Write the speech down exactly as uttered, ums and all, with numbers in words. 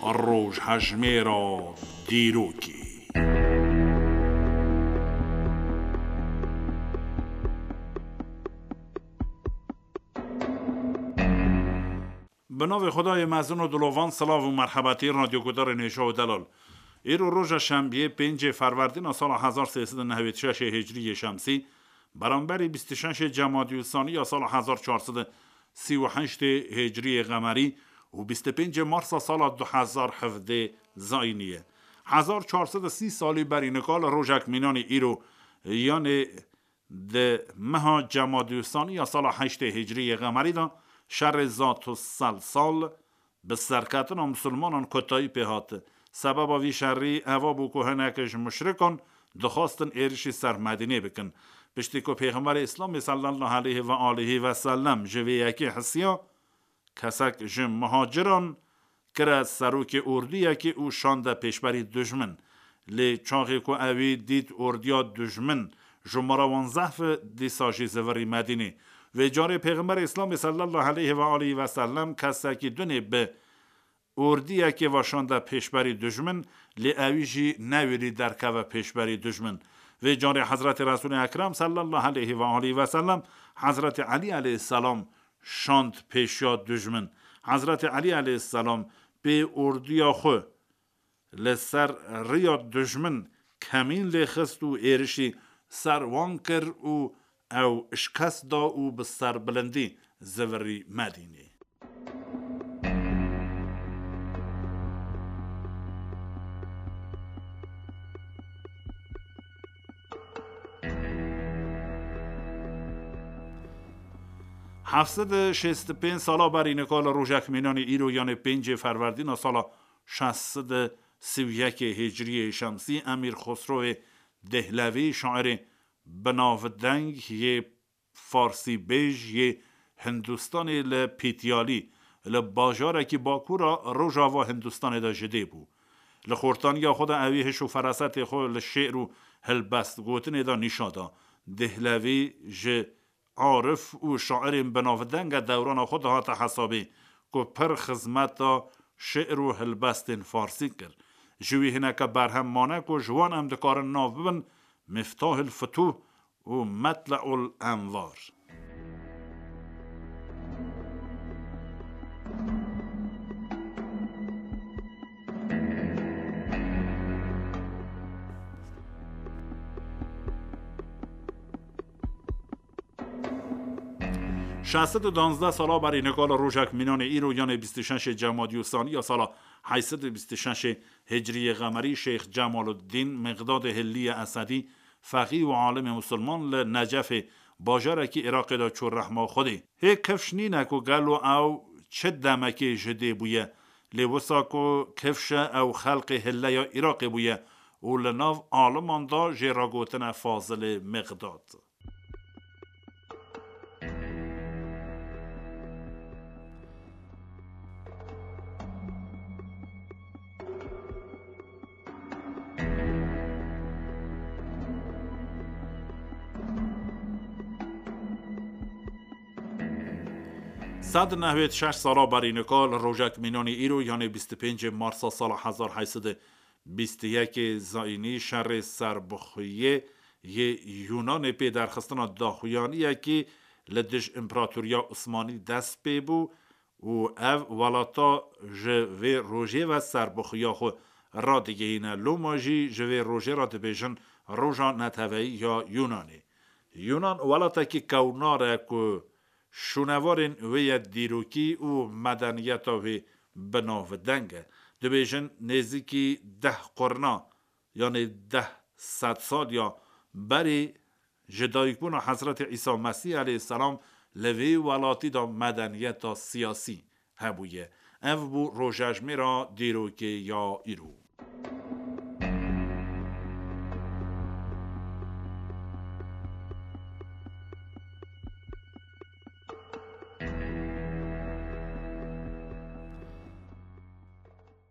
Rojhejmêra dîrokê. Bi navê Xwedayê mezin û dilovan, silav û merhebetî radyogudarên hêja û delal. Îro roja şembiyê, pêncê ferwerdîna sala hezar sê sed û nehwêd şeş hicriyê şemsî, beramberî bîst û şeşê cemadî û sanî ya sala hezar çar sed û sî û heştê hicriyê qemerî û bîst û pêncê marsa sala du hezar hevdê zayînî ye. Hezar çar sed û sî salî berî nika li rojek mînanî îro, yanê di meha cemadî û sanî ya sala heştê hicriyê qemerî de şerê Zat û Selsal bi serketina misilmanan kotayî pê hat. Sebeba vî şerî eva bû ku hinek ji muşrikan dixwastin êrişî ser Medînê bikin. Piştî ku Pêxemberê Îslamê sallallahu aleyhi ve aleyhi ve sellem ji vê yekê hisiya, kesek ji muhaciran kire serokê ordiyekê û şande pêşberî dijmin. Lê çaxê ku ewî dît ordiya dijmin ji mara wan zehf e, dîsa jî zivirî Medînê. Vê carê Pêxemberê Îslamê sallallahu aleyhi ve aleyhi ve sellem kesekî dunê bi ordiyekê ve şande pêşberî dijmin, lê ewî jî newêrî derkeve pêşberî dijmin. Vê carê Hezretê Resûlê Ekrem sallallahu aleyhi ve aleyhi ve sellem Hezretê Elî aleyhisselam şand pêşiya dijmin. Hezretê Elî aleyhisselam pê ordiya xwe li ser riya dijmin kemîn lê xist û êrişî ser wan kir û ew şikest da û bi serbilindî zivirî Medînê. Heft sed û şêst û pênc sala berî nika li rojek mînanî îro, yanê pêncê ferwerdîna sala şeş sed û sî û yekê hicriyê şemsî, Emîr Xosrowê Dehlevî, şairê binavdeng yê farsîbêj yê Hindistanê li Pîtyalî, li bajarekî bakûra rojava Hindistanê de ji dê bû. Li xortaniya xwe de ewî hiş û ferasetê xwe li şê'r û hilbestgotinê de nîşan da. Dehlevî ji arif û şairên binavdeng e dewrana xwe de hate hesabê ku pir xizmeta şê'r û hilbestên farsî kir. Ji wî hineke berhem mane ku ji wan em dikarin nav bibin Miftahil Futuh û Metle'ul Envar. Şeş sed û danzdeh sala berî nika li rojek mînanê îro, yanê bîst û şeşê cemadî û sanî ya sala heyt sed û bîst û şeşê hicriyê qemerî, Şêx Cemaluddîn Miqdadê Hilliye Esedî, feqî û alimê musulman li Necefê, bajarekî Iraqê de çû rehma Xwedê. Hê kifş nîne ku gelo ew çi demekê ji dê bûye, lê wisa ku kifş e, ew xelqê Hilleya Iraqê bûye û li nav aliman de jê re gotine Fazilê Miqdad. Sed nehwêd şeş sala berî nika li rojek mînanî îro, yanê bîst û pêncê marsa sala hezar heyt sed û bîst û yekê zayînî, şerê serbixwiyê yê Yûnanê pê derxistina daxuyaniyekî li dij Împeratoriya Osmanî dest pê bû û ev welata ji vê rojê ve serbixwiya xwe radigihîne. Loma jî ji vê rojê re dibêjin Roja Neteweyî ya Yûnanê. Yûnan welatekî kewnar e ku şûnevarên wê ye dîrokî û medeniyeta wê binavdeng e. Dibêjin nêzîkî deh qurna, yanê deh sedsaliya berê ji dayikbûna Hezretê Îsa Mesîh aleyhisselam li vê welatî de medeniyeta siyasî hebûye. Ev bû rojejmêra dîrokê ya îro.